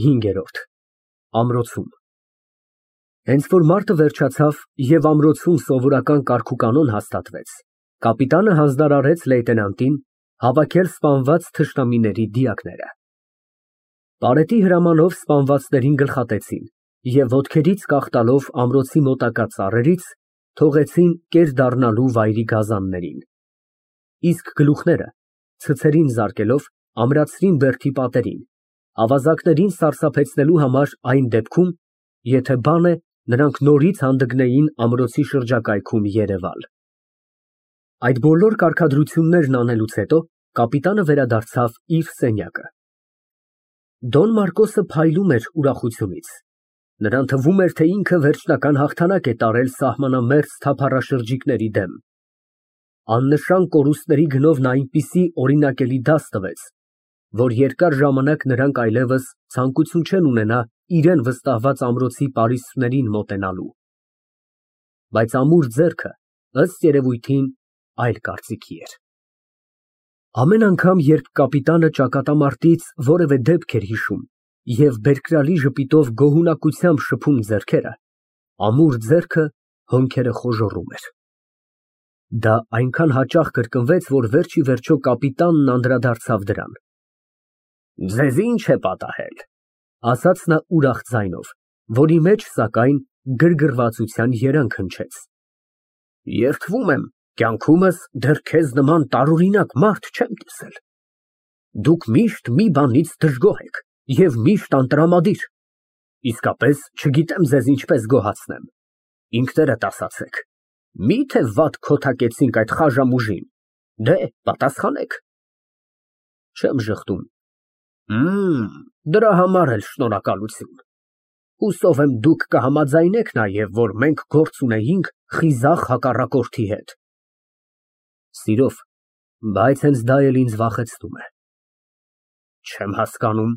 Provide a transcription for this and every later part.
5 Ամրոցում Հենց որ մարտը վերջացավ և ամրոցում սովորական կարգուկանոն հաստատվեց, կապիտանը հանձնարարեց լեյտենանտին հավաքել սպանված թշնամիների դիակները։ Պարետի հրամանով սպանվածներին գլխատեցին և ոտքերից կախ տալով ամրոցի մոտակա ծառերից, թողեցին կեր դառնալու վայրի գազաններին, իսկ գլուխները ցցերին զարկելով ամրացրին բերդի պատերին, ավազակներին սարսափեցնելու համար այն դեպքում, եթե բան է, նրանք նորից հանդգնեին ամրոցի շրջակայքում երևալ։ Այդ բոլոր կարգադրություններն անելուց հետո կապիտանը վերադարձավ իր սենյակը։ Դոն Մարկոսը փայլում էր ուրախությունից։ Նրան թվում էր, թե ինքը վերջնական հաղթանակ է տարել սահմանամերձ թափառաշրջիկների դեմ։ Աննշան կորուստների գնով նա այնպիսի օրինակելի դաս տվեց, որ երկար ժամանակ նրանք այլևս ցանկություն չեն ունենա իրան վստահված ամրոցի պարիսպներին մոտենալու։ Բայց ամուր ձեռքը, ըստ երևույթին, այլ կարծիքի էր։ Ամեն անգամ, երբ կապիտանը ճակատամարտից որևէ դեպք էր հիշում և բերկրալի ժպիտով գոհունակությամբ շփում ձեռքերը, ամուր ձեռքը հոնքերը խոժոռում էր։ Դա այնքան հաճախ կրկնվեց, որ վերջ ի վերջո կապիտանն անդրադարձավ դրան։ Ձեզ ի՞նչ է պատահել, ասաց նա ուրախ ձայնով, որի մեջ, սակայն, գրգռվածության երանգ հնչեց։ Երդվում եմ, կյանքումս դեռ քեզ նման տարօրինակ մարդ չեմ տեսել։ Դուք միշտ մի բանից դժգոհ եք և միշտ անտրամադիր։ Իսկապես չգիտեմ ձեզ ինչպես գոհացնեմ։ Ինքներդ ասացեք, մի՞թե վատ քոթակեցինք այդ խաժամուժին, դե, պատասխանեք։ Չեմ ժխտում։ Դրա համար էլ շնորհակալություն։ Հուսով եմ դուք կհամաձայնեք նաև, որ մենք գործ ունեինք խիզախ հակառակորդի հետ։ Սիրով, բայց հենց դա էլ ինձ վախեցնում է։ Չեմ հասկանում։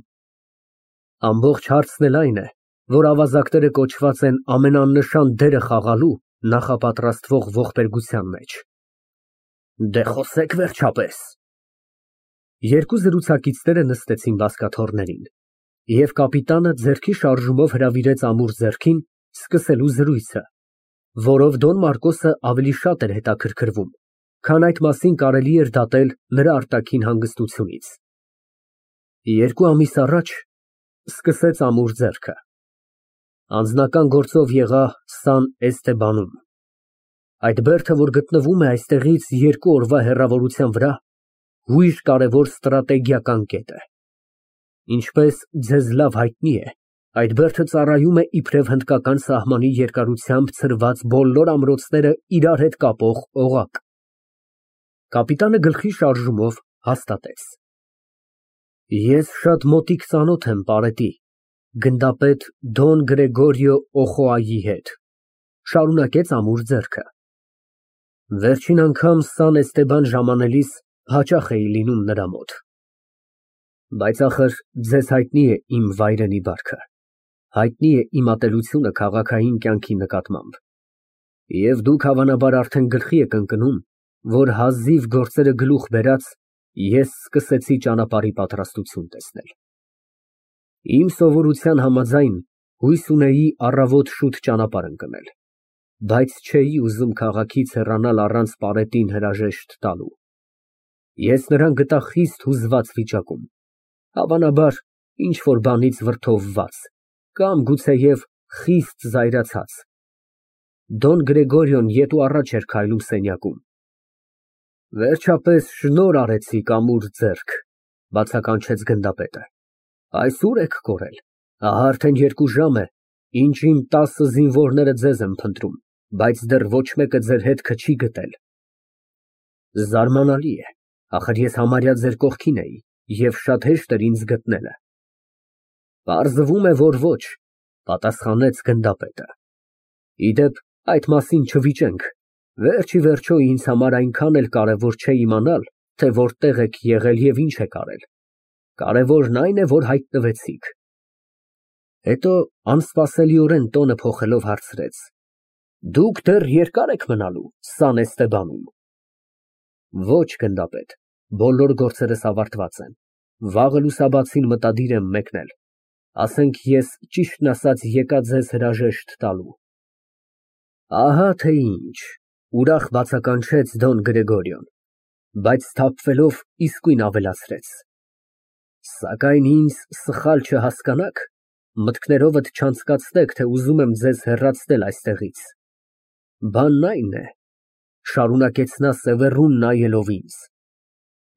Ամբողջ հարցն էլ այն է, որ ավազակները կոչված են ամենանշան դերը խաղալու նախապատրաստվող ողբերգության մեջ։ Դե խոսեք վերջապես։ Երկու զրուցակիցները նստեցին բազկաթոռներին, և կապիտանը ձեռքի շարժումով հրավիրեց ամուր ձեռքին սկսելու զրույցը, որով Դոն Մարկոսը ավելի շատ էր հետաքրքրվում, քան այդ մասին կարելի էր դատել նրա արտաքին հանգստությունից։ 2 ամիս առաջ, սկսեց ամուր ձեռքը, անձնական գործով եղա Սան Էստեբանում։ Այդ բերդը, որ գտնվում է այստեղից 2 օրվա հեռավորության վրա, հույժ կարևոր ստրատեգիական կետ է։ Ինչպես ձեզ լավ հայտնի է, այդ բերդը ծառայում է իբրև հնդկական սահմանի երկարությամբ ցրված բոլոր ամրոցները իրար հետ կապող օղակ։ Կապիտանը գլխի շարժումով հաստատեց։ Ես շատ մոտիկ ծանոթ եմ Պարետի, գնդապետ Դոն Գրեգորիո Օխոայի հետ, շարունակեց ամուր ձեռքը։ Վերջին անգամ Սան Էստեբան ժամանելիս հաճախ էի լինում նրա մոտ։ Բայց ախր ձեզ հայտնի է իմ վայրենի բարքը, հայտնի է իմ ատելությունը քաղաքային կյանքի նկատմամբ, և դուք հավանաբար արդեն գլխի եք ընկնում, որ հազիվ գործերը գլուխ բերած, ես սկսեցի ճանապարհի պատրաստություն տեսնել։ Իմ սովորության համաձայն հույս ունեի առավոտ շուտ ճանապարհ ընկնել, բայց չէի ուզում քաղաքից հեռանալ առանց Պարետին հրաժեշտ տալու։ Ես նրան գտա խիստ հուզված վիճակում, հավանաբար ինչ֊որ բանից վրդովված կամ գուցեև խիստ զայրացած։ Դոն Գրեգորիոն ետ ու առաջ էր քայլում սենյակում։ Վերջապես շնորհ արեցիք, ամուր ձեռք, բացականչեց գնդապետը։ Այսուր եք կորել, ահա արդեն 2 ժամ է, ինչ իմ 10 զինվորները ձեզ են փնտրում, բայց դեռ ոչ մեկը ձեր հետքը չի գտել։ Զարմանալի է, ախր ես համարյա ձեր կողքին էի և շատ հեշտ էր ինձ գտնելը։ Պարզվում է, որ ոչ, պատասխանեց գնդապետը։ Իդեպ, այդ մասին չվիճենք, վերջ ի վերջո ինձ համար այնքան էլ կարևոր չէ իմանալ, թե որտեղ եք եղել և ինչ եք արել, կարևորն այն է, որ հայտնվեցիք։ Հետո անսպասելիորեն տոնը փոխելով հարցրեց. Դուք դեռ երկա՞ր եք մնալու Սան Էստեբանում։ Ոչ, գնդապետ, բոլոր գործերս ավարտված են, վաղը լուսաբացին մտադիր եմ մեկնել։ Ասենք ես ճիշտն ասած եկա ձեզ հրաժեշտ տալու։ Ահա թե ինչ, ուրախ բացականչեց Դոն Գրեգորիոն, բայց սթափվելով իսկույն ավելացրեց. Սակայն ինձ սխալ չհասկանաք, մտքներովդ չանցկացնեք, թե ուզում եմ ձեզ հեռացնել այստեղից։ Բանն այն է, շարունակեց նա սևեռուն նայելով ինձ,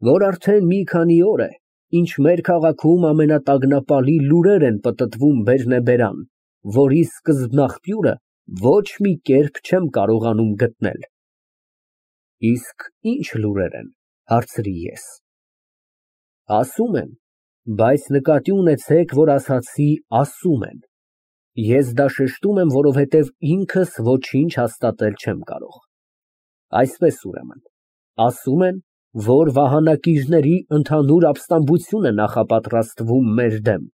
որ արդեն մի քանի օր է, ինչ մեր քաղաքում ամենատագնապալի լուրեր են պտտվում բերնեբերան, որի սկզբնաղբյուրը ոչ մի կերպ չեմ կարողանում գտնել։ Իսկ ինչ լուրեր են, հարցրի ես։ Ասում են, բայց նկատի ունեցեք, որ ասացի ասում են։ Ես դա շեշտում եմ, որովհետև ինքս ոչինչ հաստատել չեմ կարող։ Այսպես ուրեմն, ասում են, որ վահանակիժների ընդհանուր ապստամբություն է նախապատրաստվում մեր դեմ,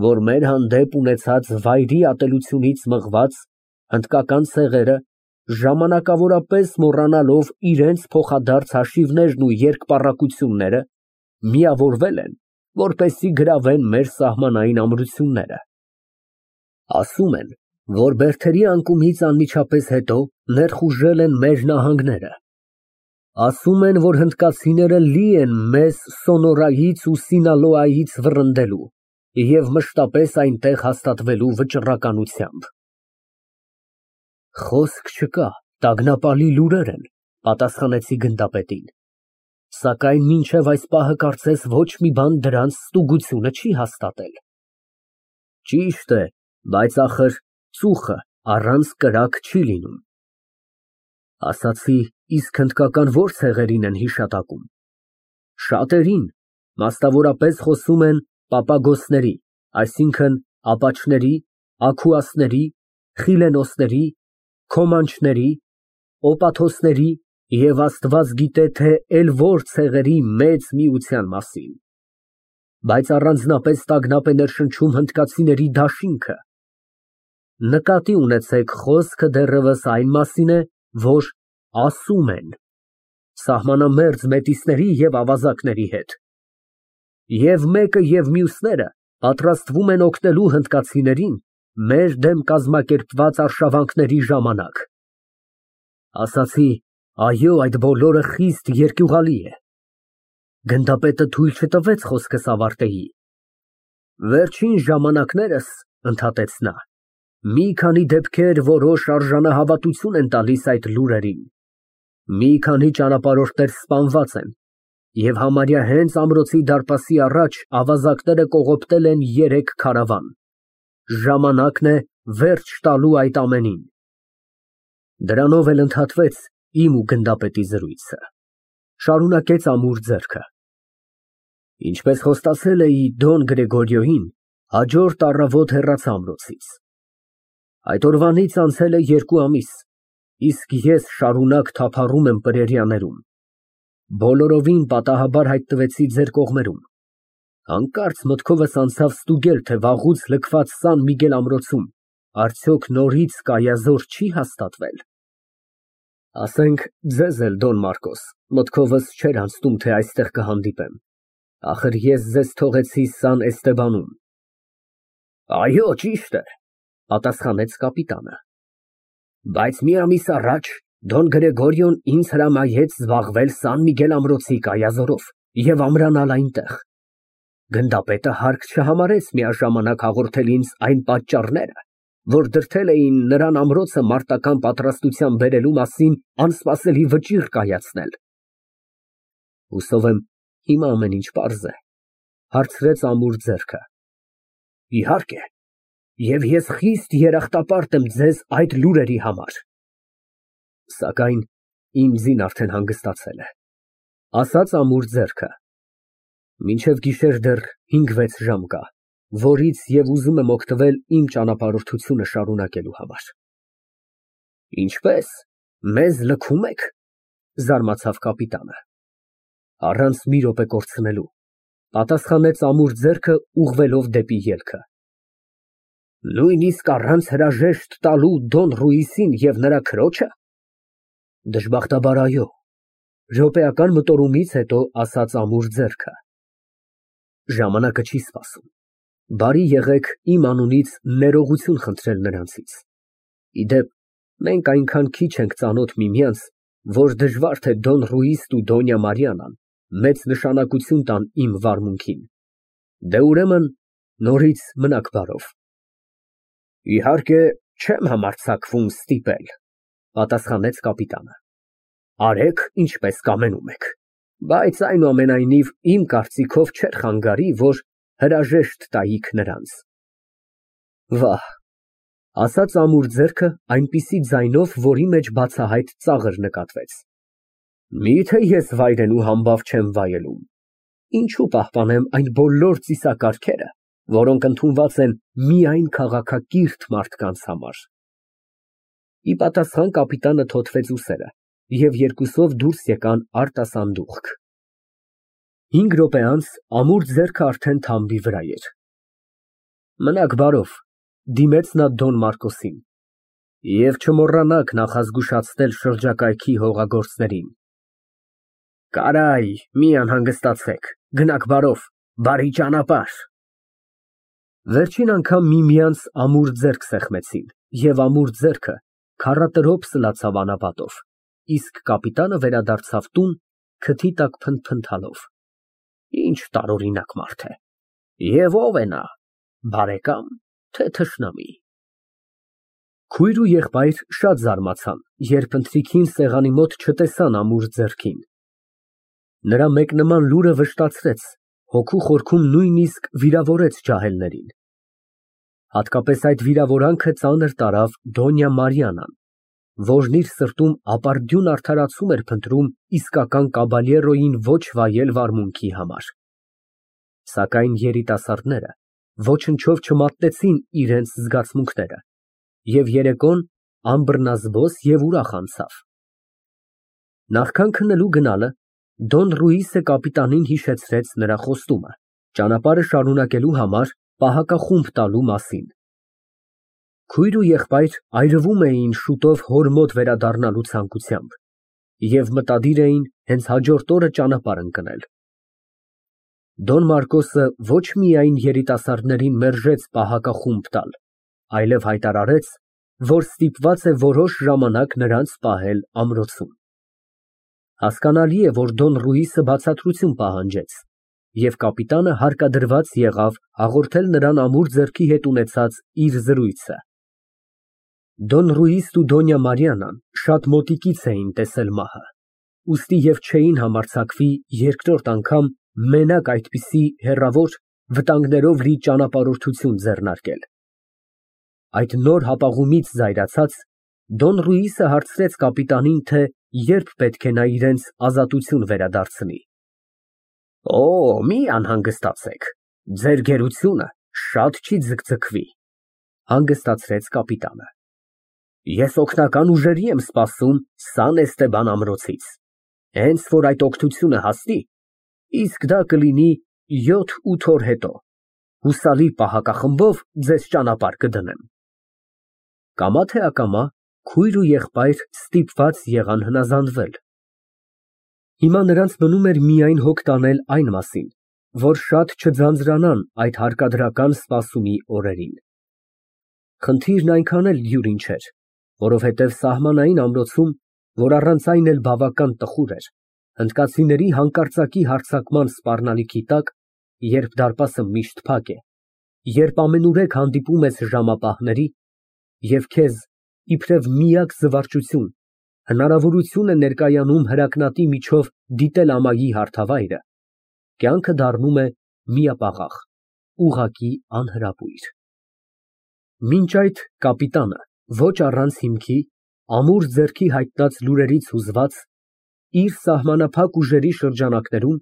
որ մեր հանդեպ ունեցած վայրի ատելությունից մղված հնդկական ցեղերը, ժամանակավորապես մոռանալով իրենց փոխադարձ հաշիվներն ու երկպառակությունները, միավորվել են, որպեսզի գրավեն մեր սահմանային ամրությունները։ Ասում են, որ բերդերի անկումից անմիջապես հետո ներխուժել են մեր նահանգները։ Ասում են, որ հնդկացիները լի են մեզ Սոնորայից ու Սինալոայից վռնդելու և մշտապես այնտեղ հաստատվելու վճռականությամբ։ Խոսք չկա, տագնապալի լուրեր են, պատասխանեցի գնդապետին, սակայն մինչև այս պահը կարծես ոչ մի բան դրանց ստուգությունը չի հաստատել։ Ճիշտ է, բայց ախր ծուխը առանց կրակ չի լինում։ Ասացի, իսկ հնդկական ո՞ր ցեղերին են հիշատակում։ Շատերին, մասնավորապես խոսում են պապագոսների, այսինքն ապաչների, աքուասների, խիլենոսների, քոմանչների, օպաթոսների և Աստված գիտե թե էլ որ ցեղերի մեծ միության մասին, բայց առանձնապես տագնապ է ներշնչում հնդկացիների դաշինքը։ Նկատի ունեցեք, խոսքը դեռևս այն մասին է, որ ասում են սահմանամերձ մեծիսների և ավազակների հետ, և մեկը և մյուսները պատրաստվում են օգնելու հնդկացիներին մեր դեմ կազմակերպված արշավանքների ժամանակ։ Ասացի, այո, այդ բոլորը խիստ երկյուղալի է։ Գնդապետը թույլ չտվեց խոսքս ավարտեի։ Վերջին ժամանակներս, ընդհատեց նա, մի քանի դեպքեր որոշ արժանահավատություն են տալիս այդ լուրերին։ Մի քանի ճանապարհորդներ սպանված են, և համարյա հենց ամրոցի դարպասի առաջ ավազակները կողոպտել են 3 քարավան։ Ժամանակն է վերջ տալու այդ ամենին։ Դրանով էլ ընդհատվեց իմ ու գնդապետի զրույցը։ Շարունակեց ամուր ձեռքը։ Ինչպես խոստացել էի Դոն Գրեգորիոյին, հաջորդ առավոտ հեռացա ամրոցից։ Այդ օրվանից անցել է 2 ամիս, իսկ ես շարունակ թափառում եմ պրերիաներում։ Բոլորովին պատահաբար հայտնվեցի ձեր կողմերում։ Հանկարծ մտքովս անցավ ստուգել, թե վաղուց լքված Սան Միգել ամրոցում արդյոք նորից կայազոր չի հաստատվել։ Ասենք ձեզ էլ, Դոն Մարկոս, մտքովս չէր անցնում, թե այստեղ կհանդիպեմ։ Ախր ես ձեզ թողեցի Սան Էստեբանում։ Այո, ճիշտ է, պատասխանեց կապիտանը։ Բայց մի ամիս առաջ Դոն Գրեգորիոն ինձ հրամայեց զբաղվել Սան Միգել ամրոցի կայազորով և ամրանալ այնտեղ։ Գնդապետը հարկ չհամարեց միաժամանակ հաղորդել ինձ այն պատճառները, որ դրդել էին նրան ամրոցը մարտական պատրաստության բերելու մասին անսպասելի վճիռ կայացնել։ Հուսով եմ, հիմա ամեն ինչ պարզ է, հարցրեց ամուր ձեռքը։ Իհարկե, և ես խիստ երախտապարտ եմ ձեզ այդ լուրերի համար։ Սակայն իմ ձին արդեն հանգստացել է, ասաց ամուր ձեռքը։ Մինչև գիշեր դեռ 5-6 ժամ կա, որից և ուզում եմ օգտվել իմ ճանապարհորդությունը շարունակելու համար։ Ինչպե՞ս, մեզ լքում եք, զարմացավ կապիտանը։ Առանց մի րոպե կորցնելու, պատասխանեց ամուր ձեռքը ուղղվելով դեպի ելքը։ Նույնիսկ առանց հրաժեշտ տալու Դոն Ռուիսին և նրա քրոջը։ Դժբախտաբար այո, րոպեական մտորումից հետո ասաց ամուր ձեռքը։ Ժամանակը չի սպասում։ Բարի եղեք իմ անունից ներողություն խնդրել նրանցից։ Ի դեպ, մենք այնքան քիչ ենք ծանոթ միմյանց, որ դժվար թե Դոն Ռուիսն ու Դոնյա Մարիանան մեծ նշանակություն տան իմ վարմունքին։ Դե, ուրեմն, նորից մնաք բարով։ Իհարկե, չեմ համարձակվում ստիպել, պատասխանեց կապիտանը։ Արեք, ինչպես կամենում եք, բայց այնուամենայնիվ իմ կարծիքով չէր խանգարի, որ հրաժեշտ տայիք նրանց։ Վահ, ասաց ամուր ձեռքը այնպիսի ձայնով, որի մեջ բացահայտ ծաղր նկատվեց։ Միթե ես վայրենու համբավ չեմ վայելում, ինչու պահպանեմ այն բոլոր ծիսակարգերը, որոնք ընդունված են միայն քաղաքակիրթ մարդկանց համար։ Ի պատասխան կապիտանը թոթվեց ուսերը, և երկուսով դուրս եկան արտասանդուղք։ 5 րոպե անց ամուր ձեռքը արդեն թամբի վրա էր։ Մնաք բարով, դիմեց նա Դոն Մարկոսին, և չմոռանաք նախազգուշացնել շրջակայքի հողագործներին։ Կարայ, մի անհանգստացեք, գնաք բարով, բարի ճանապարհ։ Վերջին անգամ միմյանց ամուր ձեռք սեղմեցին, և ամուր ձեռքը քառատրոփ սլացավ անապատով, իսկ կապիտանը վերադարձավ տուն, քթի տակ փնթփնթալով։ Ինչ տարօրինակ մարդ է։ Եվ ո՞վ է նա, բարեկամ, թե թշնամի։ Քույր ու եղբայր շատ զարմացան, երբ ընթրիքին սեղանի մոտ չտեսան ամուր ձեռքին։ Նրա մեկնման լուրը վշտացրեց, հոգու խորքում նույնիսկ վիրավորեց ջահելներին։ Հատկապես այդ վիրավորանքը ծանր տարավ Դոնյա Մարիանան, որն իր սրտում ապարդյուն արդարացում էր փնտրում իսկական կաբալյերոյին ոչ վայել վարմունքի համար։ Սակայն երիտասարդները ոչնչով չմատնեցին իրենց զգացմունքները, և երեկոն անբռնազբոս և ուրախ անցավ։ Նախքան քնելու գնալը Դոն Ռուիսը կապիտանին հիշեցրեց նրա խոստումը, ճանապարհը շարունակելու համար պահակախումբ տալու մասին։ Քույր ու եղբայր այրվում էին շուտով հոր մոտ վերադառնալու ցանկությամբ և մտադիր էին հենց հաջորդ օրը ճանապարհ ընկնել։ Դոն Մարկոսը ոչ միայն երիտասարդներին մերժեց պահակախումբ տալ, այլև հայտարարեց, որ ստիպված է որոշ ժամանակ նրանց պահել ամրոցում։ Հասկանալի է, որ Դոն Ռուիսը բացատրություն պահանջեց, և կապիտանը հարկադրված եղավ հաղորդել նրան ամուր ձեռքի հետ ունեցած իր զրույցը։ Դոն Ռուիսն ու Դոնյա Մարիանան շատ մոտիկից էին տեսել մահը, ուստի և չէին համարձակվի երկրորդ անգամ մենակ այդպիսի հեռավոր, վտանգներով լի ճանապարհորդություն ձեռնարկել։ Այդ նոր հապաղումից զայրացած, Դոն Ռուիսը հարցրեց կապիտանին, թե երբ պետք է նա իրենց ազատություն վերադարձնի։ Օ, մի անհանգստացեք, ձեր գերությունը շատ չի ձգձգվի, հանգստացրեց կապիտանը։ Ես օգնական ուժերի եմ սպասում Սան Էստեբան ամրոցից, հենց որ այդ օգնությունը հասնի, իսկ դա կլինի 7-8 օր հետո, հուսալի պահակախմբով ձեզ ճանապարհ կդնեմ։ Կամա թե ակամա քույր ու եղբայր ստիպված եղան հնազանդվել։ Հիմա նրանց մնում էր միայն հոգ տանել այն մասին, որ շատ չձանձրանան այդ հարկադրական սպասումի օրերին։ Խնդիրն այնքան էլ դյուրին չէր, որովհետև սահմանային ամրոցում, որ առանց այն էլ բավական տխուր էր, հնդկացիների հանկարծակի հարձակման սպառնալիքի տակ, երբ դարպասը միշտ փակ է, երբ ամենուրեք հանդիպում ես ժամապահների, և քեզ իբրև միակ զվարճություն, հնարավորություն է ներկայանում հրակնատի միջով դիտել ամայի հարթավայրը, կյանքը դառնում է միապաղաղ, ուղղակի անհրապույր։ Մինչ այդ կապիտանը, ոչ առանց հիմքի, ամուր ձեռքի հայտնած լուրերից հուզված, իր սահմանափակ ուժերի շրջանակներում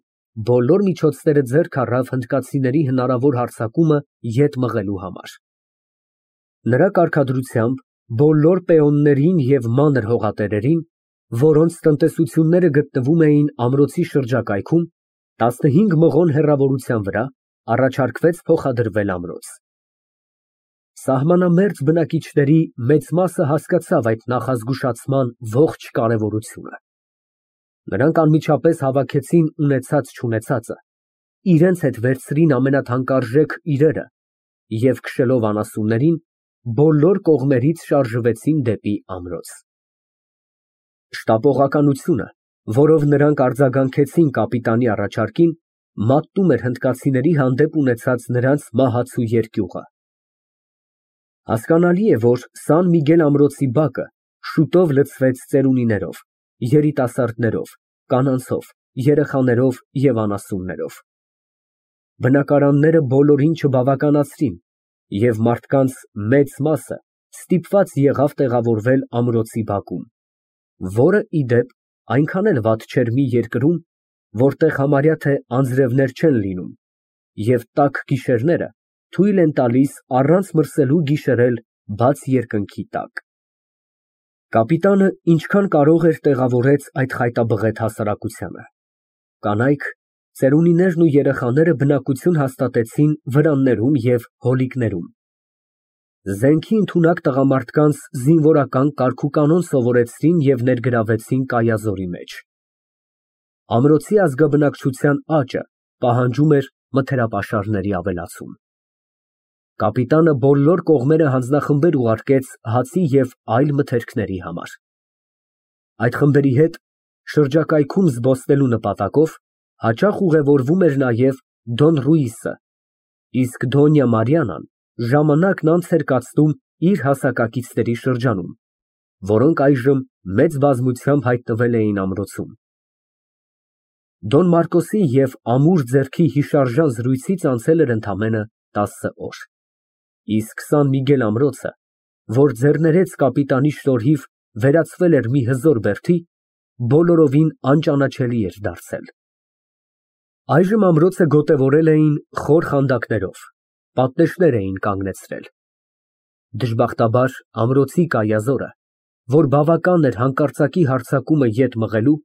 բոլոր միջոցները ձեռք առավ հնդկացիների հնարավոր հարձակումը ետ մղելու համար։ Նրա կարգադրությամբ բոլոր պեոններին և մանր հողատերերին, որոնց տնտեսությունները գտնվում էին ամրոցի շրջակայքում, 15 մղոն հեռավորության վրա, առաջարկվեց փոխադրվել ամրոց։ Սահմանամերձ բնակիչների մեծ մասը հասկացավ այդ նախազգուշացման ողջ կարևորությունը։ Նրանք անմիջապես հավաքեցին ունեցած֊չունեցածը, իրենց հետ վերցրին ամենաթանկարժեք իրերը և քշելով անասուններին, բոլոր կողմերից շարժվեցին դեպի ամրոց։ Շտապողականությունը, որով նրանք արձագանքեցին կապիտանի առաջարկին, մատնում էր հնդկացիների հանդեպ ունեցած նրանց մահացու երկյուղը։ Հասկանալի է, որ Սան Միգել ամրոցի բակը շուտով լցվեց ծերունիներով, երիտասարդներով, կանանցով, երեխաներով և անասուններով։ Բնակարանները բոլորին չբավականացրին, և մարդկանց մեծ մասը ստիպված եղավ տեղավորվել ամրոցի բակում, որը, ի դեպ, այնքան էլ վատ չէր մի երկրում, որտեղ համարյա թե անձրևներ չեն լինում, և տաք գիշերները թույլ են տալիս առանց մրսելու գիշերել բաց երկնքի տակ։ Կապիտանը ինչքան կարող էր տեղավորեց այդ խայտաբղետ հասարակությանը։ Կանայք, ծերունիներն ու երեխաները բնակություն հաստատեցին վրաններում և հոլիկներում։ Զենքի ընդունակ տղամարդկանց զինվորական կարգուկանոն սովորեցրին և ներգրավեցին Կայազորի մեջ։ Ամրոցի ազգաբնակչության աճը պահանջում էր մթերապաշարների ավելացում։ Կապիտանը բոլոր կողմերը հանձնախմբեր ուղարկեց հացի և այլ մթերքների համար։ Այդ խմբերի հետ շրջակայքում զբոսնելու նպատակով հաճախ ուղևորվում էր նաև Դոն Ռուիսը, իսկ Դոնյա Մարիանան ժամանակն անց էր կացնում իր հասակակիցների շրջանում, որոնք այժմ մեծ բազմությամբ հայտնվել էին ամրոցում։ Դոն Մարկոսի և Ամուր ձեռքի հիշարժան զրույցից անցել էր ընդամենը 10 օր, իսկ Սան Միգել ամրոցը, որ ձեռներեց կապիտանի շնորհիվ վերածվել էր մի հզոր բերդի, բոլորովին անճանաչելի էր դարձել։ Այժմ ամրոցը գոտևորել էին խոր խանդակներով, պատնեշներ էին կանգնեցրել։ Դժբախտաբար ամրոցի կայազորը, որ բավական էր հանկարծակի հարձակումը ետ մղելու,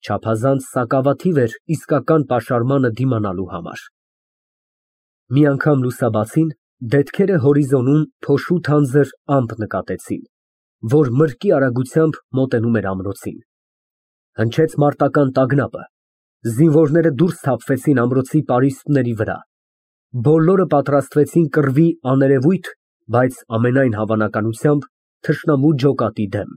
չափազանց սակավաթիվ էր իսկական պաշարմանը դիմանալու համար։ Մի անգամ լուսաբացին, դետքերը հորիզոնում փոշու թանձր ամպ նկատեցին, որ մրկի արագությամբ մոտենում էր ամրոցին։ Հնչեց մարտական տագնապը, զինվորները դուրս թափվեցին ամրոցի պարիսպների վրա, բոլորը պատրաստվեցին կռվի աներևույթ, բայց ամենայն հավանականությամբ թշնամու ջոկատի դեմ։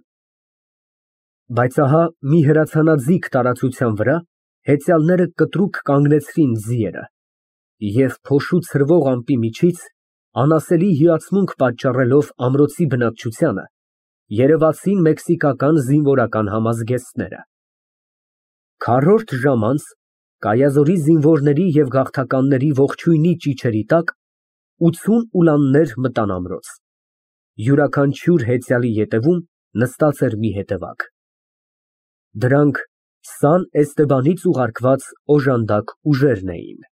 Բայց ահա մի հրացանաձիգ տարածության վրա հեծյալները կտրուկ կանգնեցրին ձիերը և փոշու ցրվող ամպի միջից, անասելի հիացմունք պատճառելով ամրոցի բնակչությանը, երևացին մեքսիկական զինվորական համազգեստները։ Քառորդ ժամ անց Կայազորի զինվորների և գաղթականների ողջույնի ճիչերի տակ 80 ուլաններ մտան ամրոց։ Յուրաքանչյուր հեծյալի ետևում նստած էր մի հետևակ։ Դրանք Սան Էստեբանից ուղարկված օժանդակ ուժերն էին։